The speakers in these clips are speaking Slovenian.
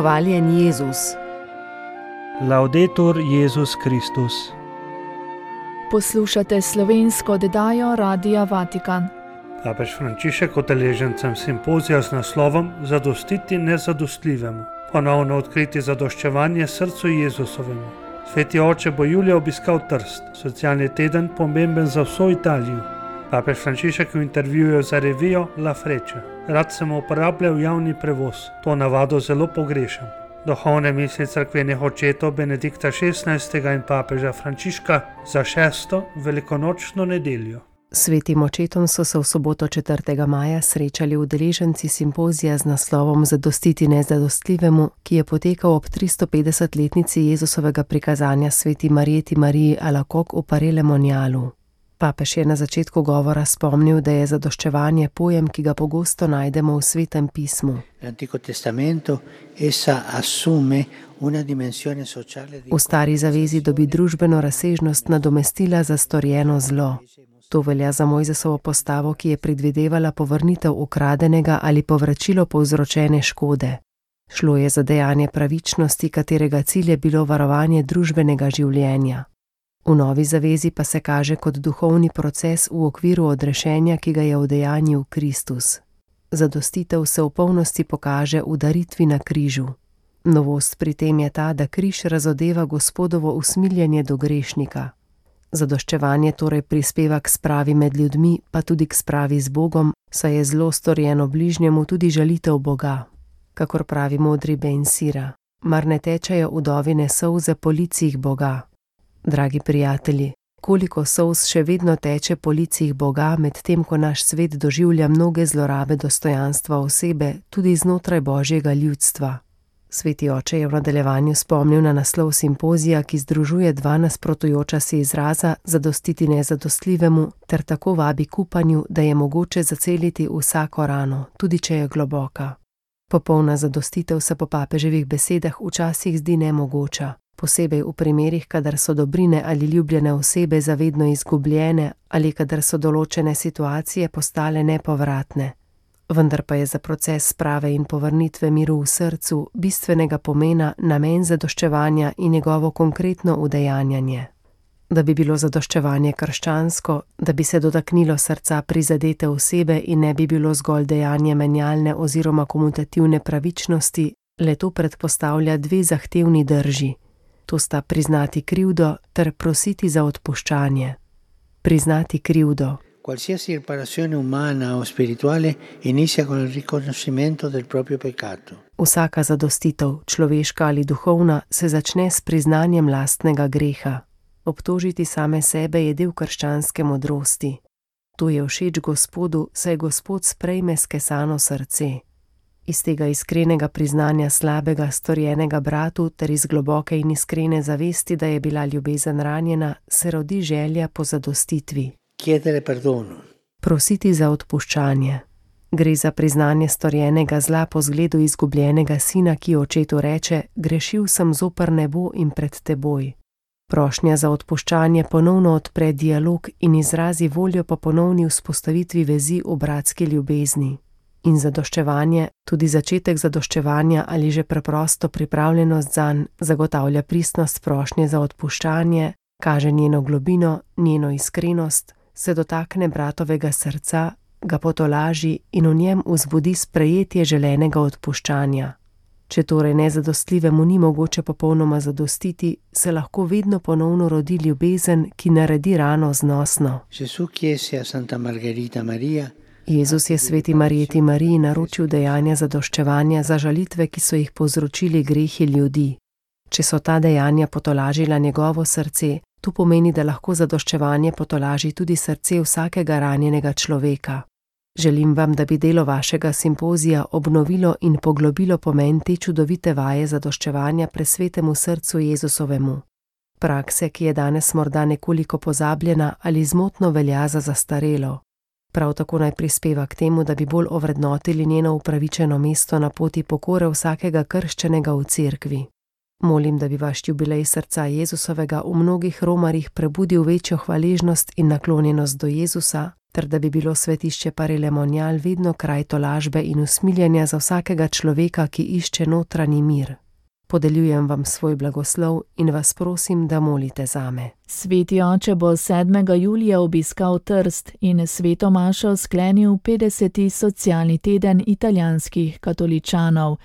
Hvaljen Jezus. Laudetur Jezus Kristus. Poslušate slovensko oddajo Radia Vatikan. Papež Frančišek udeležencem simpozija z naslovom Zadostiti nezadostljivemu. Ponovno odkriti zadoščevanje srcu Jezusovemu. Sveti oče bo julija obiskal Trst, socialni teden pomemben za vso Italijo. Papež Frančišek v intervjuju za revijo La Freccia. Rad sem uporabljal javni prevoz, to navado zelo pogrešam. Duhovne misli cerkvenih očetov Benedikta XVI. In papeža Frančiška za 6. velikonočno nedeljo. Svetim očetom so se v soboto 4. maja srečali udeleženci simpozija z naslovom Zadostiti nezadostljivemu, ki je potekal ob 350-letnici Jezusovega prikazanja sveti Marjeti Mariji Alacoque v Paray-le-Monialu. Papež je na začetku govora spomnil, da je zadoščevanje pojem, ki ga pogosto najdemo v Svetem pismu. V Stari zavezi dobi družbeno razsežnost nadomestila za storjeno zlo. To velja za Mojzesovo postavo, ki je predvidevala povrnitev ukradenega ali povračilo povzročene škode. Šlo je za dejanje pravičnosti, katerega cilj je bilo varovanje družbenega življenja. V Novi zavezi pa se kaže kot duhovni proces v okviru odrešenja, ki ga je udejanjil Kristus. Zadostitev se v polnosti pokaže v daritvi na križu. Novost pri tem je ta, da križ razodeva Gospodovo usmiljenje do grešnika. Zadoščevanje torej prispeva k spravi med ljudmi, pa tudi k spravi z Bogom, saj je zlo storjeno bližnjemu tudi žalitev Boga. Kakor pravi modri Ben Sira, mar ne tečejo vdovine solze po licih Boga. Dragi prijatelji, koliko solz še vedno teče po licih Boga, medtem ko naš svet doživlja mnoge zlorabe dostojanstva osebe, tudi znotraj Božjega ljudstva. Sveti oče je v nadaljevanju spomnil na naslov simpozija, ki združuje dva nasprotujoča si izraza zadostiti nezadostljivemu, ter tako vabi k upanju, da je mogoče zaceliti vsako rano, tudi če je globoka. Popolna zadostitev se po papeževih besedah včasih zdi nemogoča, posebej v primerih, kadar so dobrine ali ljubljene osebe zavedno izgubljene ali kadar so določene situacije postale nepovratne. Vendar pa je za proces sprave in povrnitve miru v srcu bistvenega pomena namen zadoščevanja in njegovo konkretno udejanjanje. Da bi bilo zadoščevanje krščansko, da bi se dotaknilo srca prizadete osebe in ne bi bilo zgolj dejanje menjalne oziroma komutativne pravičnosti, le to predpostavlja dve zahtevni drži. To sta priznati krivdo ter prositi za odpuščanje. Priznati krivdo. Qualsiasi riparazione umana o spirituale inizia con il riconoscimento del proprio peccato. Vsaka zadostitev, človeška ali duhovna, se začne s priznanjem lastnega greha. Obtožiti same sebe je del krščanske modrosti. To je všeč Gospodu, saj Gospod sprejme skesano srce. Iz tega iskrenega priznanja slabega storjenega bratu ter iz globoke in iskrene zavesti, da je bila ljubezen ranjena, se rodi želja po zadostitvi. Chiedere perdono. Prositi za odpuščanje. Gre za priznanje storjenega zla po zgledu izgubljenega sina, ki očetu reče: grešil sem zoper nebo in pred teboj. Prošnja za odpuščanje ponovno odpre dialog in izrazi voljo po ponovni vzpostavitvi vezi v bratski ljubezni. In zadoščevanje, tudi začetek zadoščevanja ali že preprosto pripravljenost zanj, zagotavlja pristnost prošnje za odpuščanje, kaže njeno globino, njeno iskrenost, se dotakne bratovega srca, ga potolaži in v njem vzbudi sprejetje želenega odpuščanja. Če torej nezadostljivemu ni mogoče popolnoma zadostiti, se lahko vedno ponovno rodi ljubezen, ki naredi rano znosno. Jezus je sveti Marjeti Mariji naročil dejanja zadoščevanja za žalitve, ki so jih povzročili grehi ljudi. Če so ta dejanja potolažila njegovo srce, to pomeni, da lahko zadoščevanje potolaži tudi srce vsakega ranjenega človeka. Želim vam, da bi delo vašega simpozija obnovilo in poglobilo pomen te čudovite vaje zadoščevanja presvetemu srcu Jezusovemu. Prakse, ki je danes morda nekoliko pozabljena ali zmotno velja za zastarelo. Prav tako naj prispeva k temu, da bi bolj ovrednotili njeno upravičeno mesto na poti pokore vsakega krščenega v cerkvi. Molim, da bi vaš jubilej srca Jezusovega v mnogih romarjih prebudil večjo hvaležnost in naklonjenost do Jezusa, ter da bi bilo svetišče Parilemonjal vedno kraj tolažbe in usmiljenja za vsakega človeka, ki išče notranji mir. Podeljujem vam svoj blagoslov in vas prosim, da molite zame. Sveti oče bo 7. julija obiskal Trst in sveto mašo sklenil 50. socialni teden italijanskih katoličanov.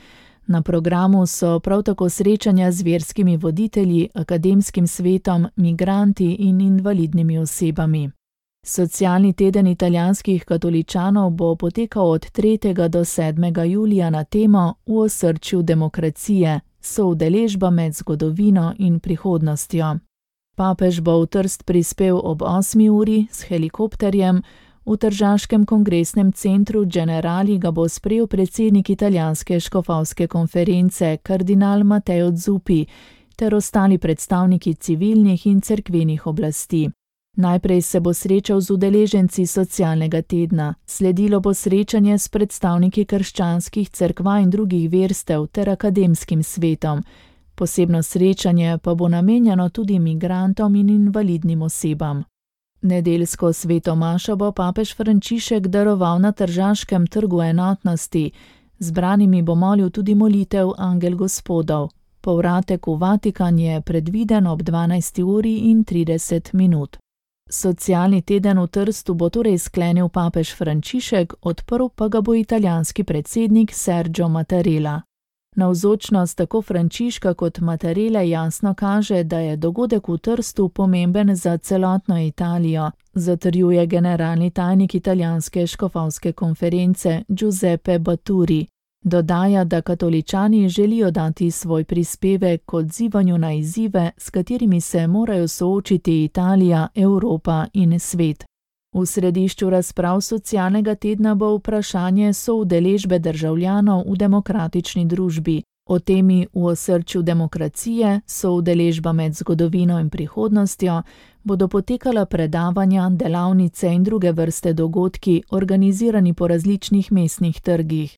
Na programu so prav tako srečanja z verskimi voditelji, akademskim svetom, migranti in invalidnimi osebami. Socialni teden italijanskih katoličanov bo potekal od 3. do 7. julija na temo V osrčju demokracije, soudeležba med zgodovino in prihodnostjo. Papež bo v Trst prispel ob 8. uri s helikopterjem, v tržaškem kongresnem centru Generali ga bo sprejel predsednik italijanske škofovske konference kardinal Matteo Zuppi ter ostali predstavniki civilnih in cerkvenih oblasti. Najprej se bo srečal z udeleženci socialnega tedna, sledilo bo srečanje s predstavniki krščanskih cerkva in drugih verstev ter akademskim svetom. Posebno srečanje pa bo namenjeno tudi migrantom in invalidnim osebam. Nedeljsko sveto mašo bo papež Frančišek daroval na Tržaškem trgu enotnosti. Zbranimi bo molil tudi molitev Angel Gospodov. Povratek v Vatikan je predviden ob 12:30. Socialni teden v Trstu bo torej sklenil papež Frančišek, odprl pa ga bo italijanski predsednik Sergio Mattarella. Navzočnost tako Frančiška kot Mattarelle jasno kaže, da je dogodek v Trstu pomemben za celotno Italijo, zatrjuje generalni tajnik italijanske škofovske konference Giuseppe Baturi. Dodaja, da katoličani želijo dati svoj prispevek k odzivanju na izzive, s katerimi se morajo soočiti Italija, Evropa in svet. V središču razprav socialnega tedna bo vprašanje soudeležbe državljanov v demokratični družbi. O temi V osrčju demokracije, soudeležba med zgodovino in prihodnostjo, bodo potekala predavanja, delavnice in druge vrste dogodki, organizirani po različnih mestnih trgih.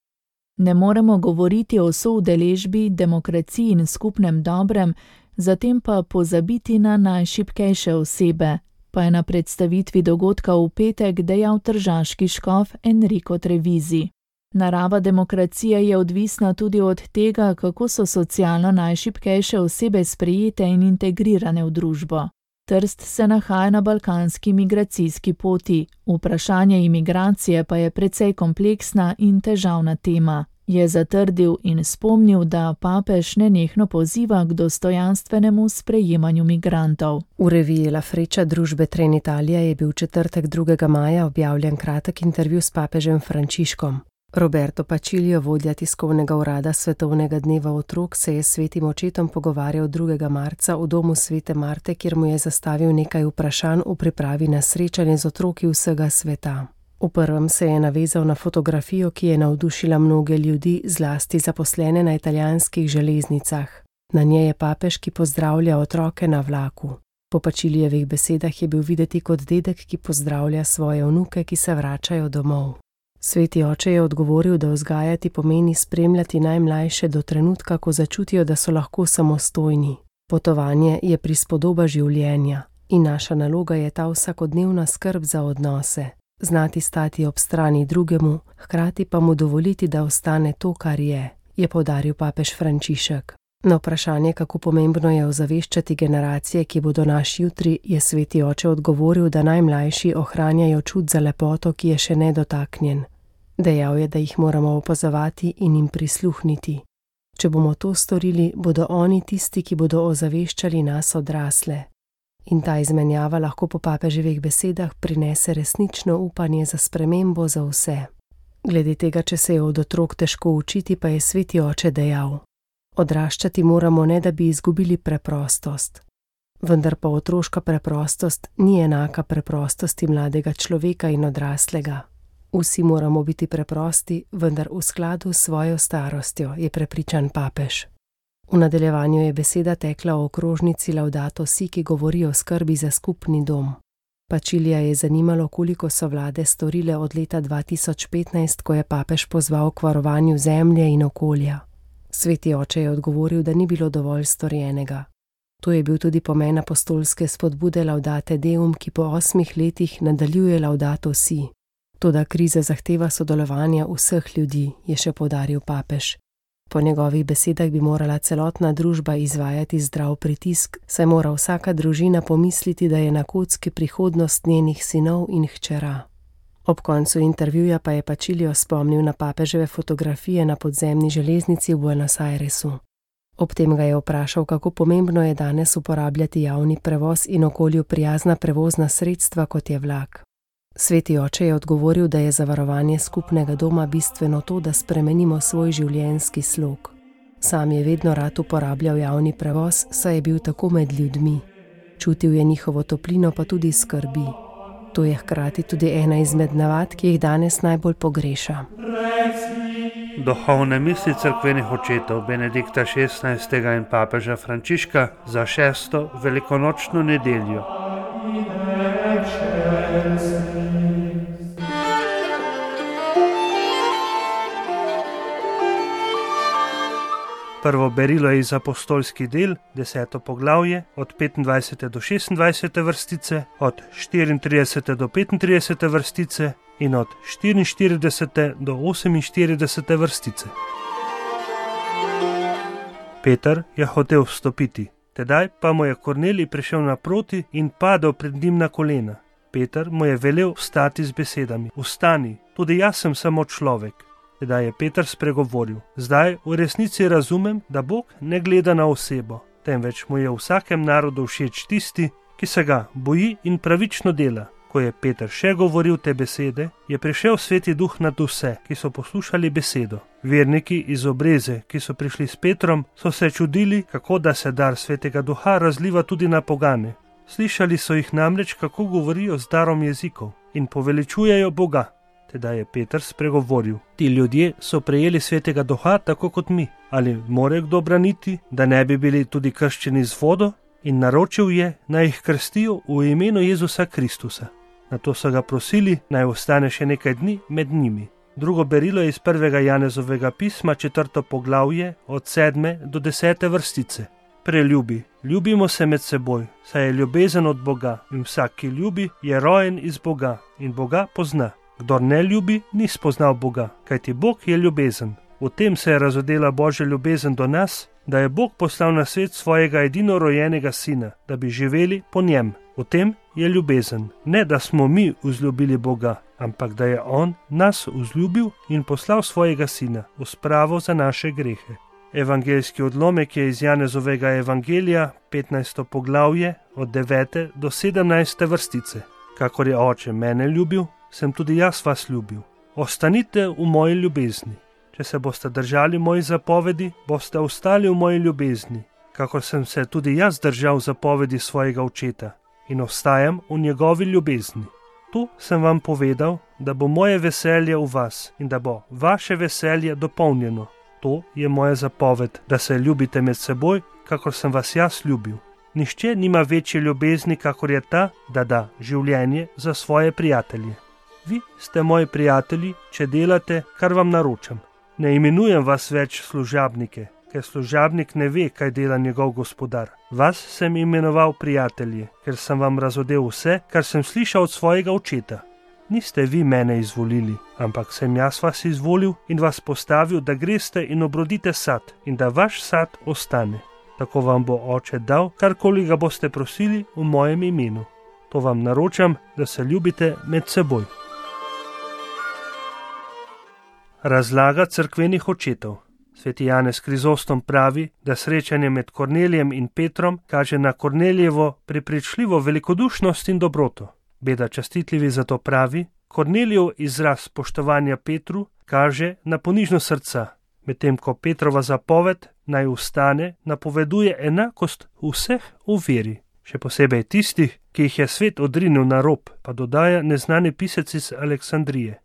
Ne moremo govoriti o soudeležbi, demokraciji in skupnem dobrem, zatem pa pozabiti na najšibkejše osebe, pa je na predstavitvi dogodka v petek dejal tržaški škof Enrico Trevizi. Narava demokracije je odvisna tudi od tega, kako so socialno najšibkejše osebe sprejete in integrirane v družbo. Trst se nahaja na balkanski migracijski poti, vprašanje imigracije pa je precej kompleksna in težavna tema, je zatrdil in spomnil, da papež nenehno poziva k dostojanstvenemu sprejemanju migrantov. V reviji La Freccia družbe Trenitalia je bil v četrtek 2. maja objavljen kratek intervju s papežem Frančiškom. Roberto Pacilio, vodja tiskovnega urada Svetovnega dneva otrok, se je s svetim očetom pogovarjal 2. marca v domu svete Marte, kjer mu je zastavil nekaj vprašanj v pripravi na srečanje z otroki vsega sveta. V prvem se je navezal na fotografijo, ki je navdušila mnoge ljudi, zlasti zaposlene na italijanskih železnicah. Na njej je papež, ki pozdravlja otroke na vlaku. Po Pacilijevih besedah je bil videti kot dedek, ki pozdravlja svoje vnuke, ki se vračajo domov. Sveti oče je odgovoril, da vzgajati pomeni spremljati najmlajše do trenutka, ko začutijo, da so lahko samostojni. Potovanje je prispodoba življenja in naša naloga je ta vsakodnevna skrb za odnose. Znati stati ob strani drugemu, hkrati pa mu dovoliti, da ostane to, kar je poudaril papež Frančišek. Na vprašanje, kako pomembno je ozaveščati generacije, ki bodo naš jutri, je sveti oče odgovoril, da najmlajši ohranjajo čut za lepoto, ki je še nedotaknjen. Dejal je, da jih moramo opazovati in jim prisluhniti. Če bomo to storili, bodo oni tisti, ki bodo ozaveščali nas odrasle. In ta izmenjava lahko po papeževih besedah prinese resnično upanje za spremembo za vse. Glede tega, če se je od otrok težko učiti, pa je sveti oče dejal: odraščati moramo, ne da bi izgubili preprostost. Vendar pa otroška preprostost ni enaka preprostosti mladega človeka in odraslega. Vsi moramo biti preprosti, vendar v skladu s svojo starostjo, je prepričan papež. V nadaljevanju je beseda tekla o okrožnici Laudato Si, ki govori o skrbi za skupni dom. Pacilija je zanimalo, koliko so vlade storile od leta 2015, ko je papež pozval k varovanju zemlje in okolja. Sveti oče je odgovoril, da ni bilo dovolj storjenega. To je bil tudi pomen apostolske spodbude Laudate Deum, ki po 8 letih nadaljuje Laudato Si. Toda kriza zahteva sodelovanja vseh ljudi, je še poudaril papež. Po njegovih besedah bi morala celotna družba izvajati zdrav pritisk, saj mora vsaka družina pomisliti, da je na kocki prihodnost njenih sinov in hčera. Ob koncu intervjuja pa je Pacilio spomnil na papeževe fotografije na podzemni železnici v Buenos Airesu. Ob tem ga je vprašal, kako pomembno je danes uporabljati javni prevoz in okolju prijazna prevozna sredstva, kot je vlak. Sveti oče je odgovoril, da je za varovanje skupnega doma bistveno to, da spremenimo svoj življenjski slog. Sam je vedno rad uporabljal javni prevoz, saj je bil tako med ljudmi. Čutil je njihovo toplino, pa tudi skrbi. To je hkrati tudi ena izmed navad, ki jih danes najbolj pogreša. Duhovne misli cerkvenih očetov Benedikta XVI. In papeža Frančiška za 6. velikonočno nedeljo. Prvo berilo je iz apostolskih del, 10. poglavje, od 25. do 26. vrstice, od 34. do 35. vrstice in od 44. do 48. vrstice. Peter je hotel vstopiti, tedaj pa mu je Kornelij prišel naproti in padel pred njim na kolena. Peter mu je velel vstati z besedami: Vstani, tudi jaz sem samo človek. Tedaj je Peter spregovoril: Zdaj v resnici razumem, da Bog ne gleda na osebo, temveč mu je v vsakem narodu všeč tisti, ki se ga boji in pravično dela. Ko je Peter še govoril te besede, je prišel Sveti Duh nad vse, ki so poslušali besedo. Verniki iz Obreze, ki so prišli s Petrom, so se čudili, kako da se dar Svetega Duha razliva tudi na pogane. Slišali so jih namreč, kako govorijo z darom jezikov in poveličujejo Boga. Tedaj je Peter spregovoril: Ti ljudje so prejeli Svetega Duha tako kot mi. Ali more kdo braniti, da ne bi bili tudi krščeni z vodo? In naročil je, naj jih krstijo v imenu Jezusa Kristusa. Nato so ga prosili, naj ostane še nekaj dni med njimi. Drugo berilo je iz 1. Janezovega pisma, 4. poglavje, od 7. do 10. vrstice. Preljubi, ljubimo se med seboj, saj je ljubezen od Boga in vsak, ki ljubi, je rojen iz Boga in Boga pozna. Kdor ne ljubi, ni spoznal Boga, kajti Bog je ljubezen. V tem se je razodela Božja ljubezen do nas, da je Bog poslal na svet svojega edinorojenega sina, da bi živeli po njem. V tem je ljubezen. Ne, da smo mi vzljubili Boga, ampak da je On nas vzljubil in poslal svojega sina v spravo za naše grehe. Evangeljski odlomek je iz Janezovega evangelija, 15. poglavje, od 9. do 17. vrstice. Kakor je Oče mene ljubil, sem tudi jaz vas ljubil. Ostanite v moji ljubezni. Če se boste držali mojih zapovedi, boste ostali v moji ljubezni, kakor sem se tudi jaz držal zapovedi svojega očeta in ostajam v njegovi ljubezni. To sem vam povedal, da bo moje veselje v vas in da bo vaše veselje dopolnjeno. To je moja zapoved, da se ljubite med seboj, kakor sem vas jaz ljubil. Nihče nima večje ljubezni, kakor je ta, da da življenje za svoje prijatelje. Vi ste moji prijatelji, če delate, kar vam naročam. Ne imenujem vas več služabnike, ker služabnik ne ve, kaj dela njegov gospodar. Vas sem imenoval prijatelji, ker sem vam razodel vse, kar sem slišal od svojega očeta. Niste vi mene izvolili, ampak sem jaz vas izvolil in vas postavil, da greste in obrodite sad in da vaš sad ostane. Tako vam bo Oče dal, karkoli ga boste prosili v mojem imenu. To vam naročam, da se ljubite med seboj. Razlaga cerkvenih očetov. Sveti Janez Krizostom pravi, da srečanje med Kornelijem in Petrom kaže na Kornelijevo prepričljivo velikodušnost in dobroto. Beda častitljivi zato pravi, Kornelijev izraz spoštovanja Petru kaže na ponižnost srca, medtem ko Petrova zapoved naj vstane napoveduje enakost vseh v veri, še posebej tistih, ki jih je svet odrinil na rob, pa dodaja neznani pisec iz Aleksandrije.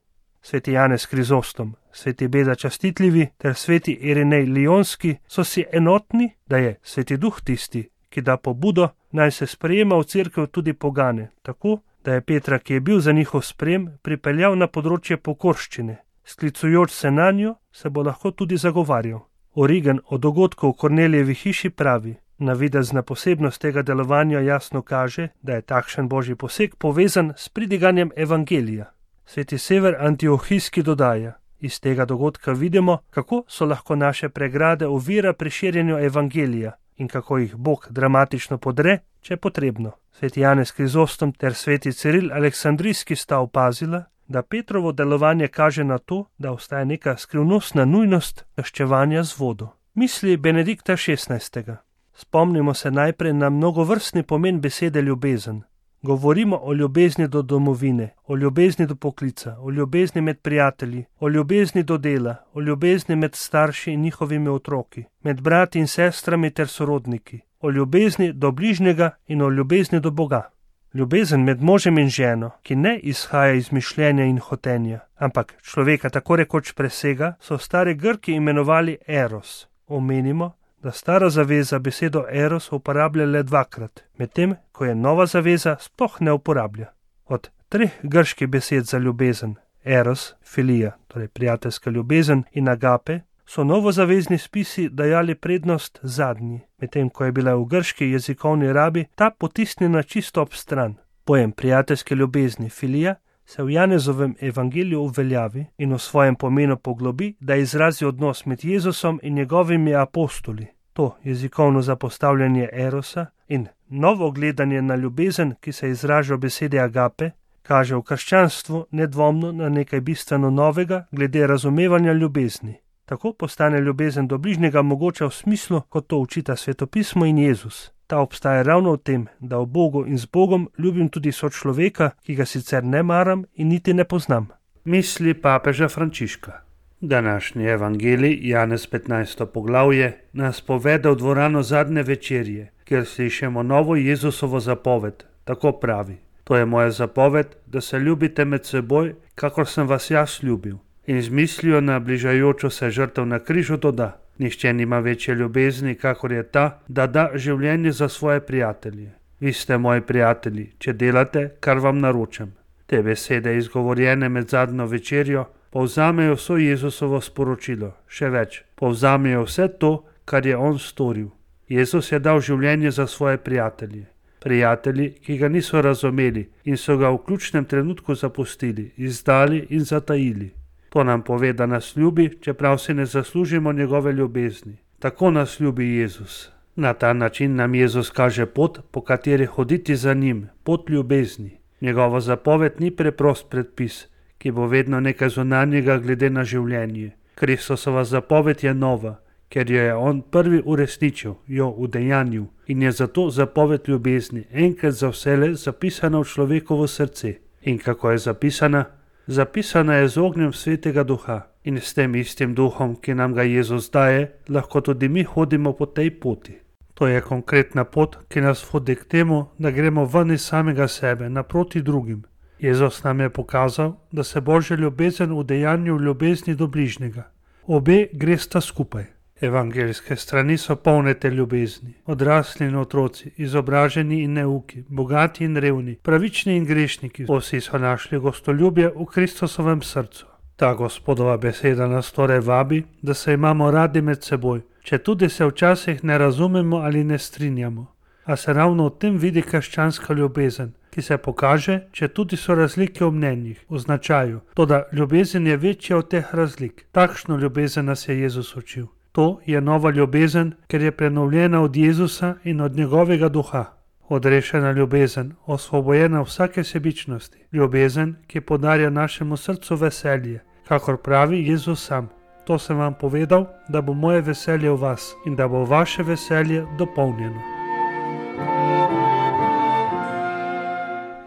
Sveti Janez Krizostom, sveti Beda častitljivi ter sveti Irinej Lionski so si enotni, da je Sveti Duh tisti, ki da pobudo, naj se sprejema v cerkev tudi pogane, tako, da je Petra, ki je bil za njihov sprem, pripeljal na področje pokorščine. Sklicujoč se na njo, se bo lahko tudi zagovarjal. Origen o dogodku v Kornelijevi hiši pravi: navidezna posebnost tega delovanja jasno kaže, da je takšen božji poseg povezan s pridiganjem evangelija. Sveti Sever Antiohijski dodaja: iz tega dogodka vidimo, kako so lahko naše pregrade ovira pri širjenju evangelija in kako jih Bog dramatično podre, če je potrebno. Sveti Janez Krizostom ter sveti Ciril Aleksandrijski sta opazila, da Petrovo delovanje kaže na to, da obstaja neka skrivnostna nujnost krščevanja z vodo. Misli Benedikta XVI. Spomnimo se najprej na mnogovrstni pomen besede ljubezen. Govorimo o ljubezni do domovine, o ljubezni do poklica, o ljubezni med prijatelji, o ljubezni do dela, o ljubezni med starši in njihovimi otroki, med brati in sestrami ter sorodniki, o ljubezni do bližnjega in o ljubezni do Boga. Ljubezen med možem in ženo, ki ne izhaja iz mišljenja in hotenja, ampak človeka tako rekoč presega, so stari Grki imenovali eros. Omenimo, da stara zaveza besedo eros uporablja le dvakrat, medtem ko je nova zaveza sploh ne uporablja. Od 3 grških besed za ljubezen, eros, filija, torej prijateljska ljubezen, in agape, so novozavezni spisi dajali prednost zadnji, medtem ko je bila v grški jezikovni rabi ta potisnjena čisto ob stran. Pojem prijateljske ljubezni, filija, se v Janezovem evangeliju uveljavi in v svojem pomenu poglobi, da izrazi odnos med Jezusom in njegovimi apostoli. To jezikovno zapostavljanje erosa in novo gledanje na ljubezen, ki se izraža v besedi agape, kaže v krščanstvu nedvomno na nekaj bistveno novega glede razumevanja ljubezni. Tako postane ljubezen do bližnjega mogoča v smislu, kot to učita svetopismo in Jezus. Ta obstaja ravno v tem, da v Bogu in z Bogom ljubim tudi sočloveka, ki ga sicer ne maram in niti ne poznam. Misli papeža Frančiška. Današnji evangelij, Janez 15. poglavje, nas povede v dvorano zadnje večerje, kjer slišimo novo Jezusovo zapoved. Tako pravi: to je moja zapoved, da se ljubite med seboj, kakor sem vas jaz ljubil. In z mislijo na bližajočo se žrtev na križu doda: nihče nima večje ljubezni, kakor je ta, da da življenje za svoje prijatelje. Vi ste moji prijatelji, če delate, kar vam naročam. Te besede, izgovorjene med zadnjo večerjo, povzamejo vso Jezusovo sporočilo. Še več, povzamejo vse to, kar je on storil. Jezus je dal življenje za svoje prijatelje. Prijatelji, ki ga niso razumeli in so ga v ključnem trenutku zapustili, izdali in zatajili. To nam pove, da nas ljubi, čeprav si ne zaslužimo njegove ljubezni. Tako nas ljubi Jezus. Na ta način nam Jezus kaže pot, po kateri hoditi za njim, pot ljubezni. Njegova zapoved ni preprost predpis, ki bo vedno nekaj zunanjega glede na življenje. Kristusova zapoved je nova, ker jo je on prvi uresničil, jo udejanjil, in je zato zapoved ljubezni enkrat za vselej zapisana v človekovo srce. In kako je zapisana? Zapisana je z ognjem Svetega Duha, in s tem istim duhom, ki nam ga Jezus daje, lahko tudi mi hodimo po tej poti. To je konkretna pot, ki nas vodi k temu, da gremo ven iz samega sebe, naproti drugim. Jezus nam je pokazal, da se Božja ljubezen udejanju v ljubezni do bližnjega. Obe gresta skupaj. Evangeljske strani so polne te ljubezni. Odrasli in otroci, izobraženi in neuki, bogati in revni, pravični in grešniki, vsi so našli gostoljubje v Kristusovem srcu. Ta Gospodova beseda nas torej vabi, da se imamo radi med seboj, četudi se včasih ne razumemo ali ne strinjamo. A se ravno v tem vidi krščanska ljubezen, ki se pokaže, četudi so razlike v mnenjih, v značaju, toda ljubezen je večja od teh razlik. Takšno ljubezen nas je Jezus učil. To je nova ljubezen, ker je prenovljena od Jezusa in od njegovega duha. Odrešena ljubezen, osvobojena vsake sebičnosti. Ljubezen, ki podarja našemu srcu veselje, kakor pravi Jezus sam. To sem vam povedal, da bo moje veselje v vas in da bo vaše veselje dopolnjeno.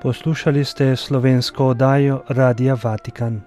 Poslušali ste slovensko oddajo Radia Vatikan.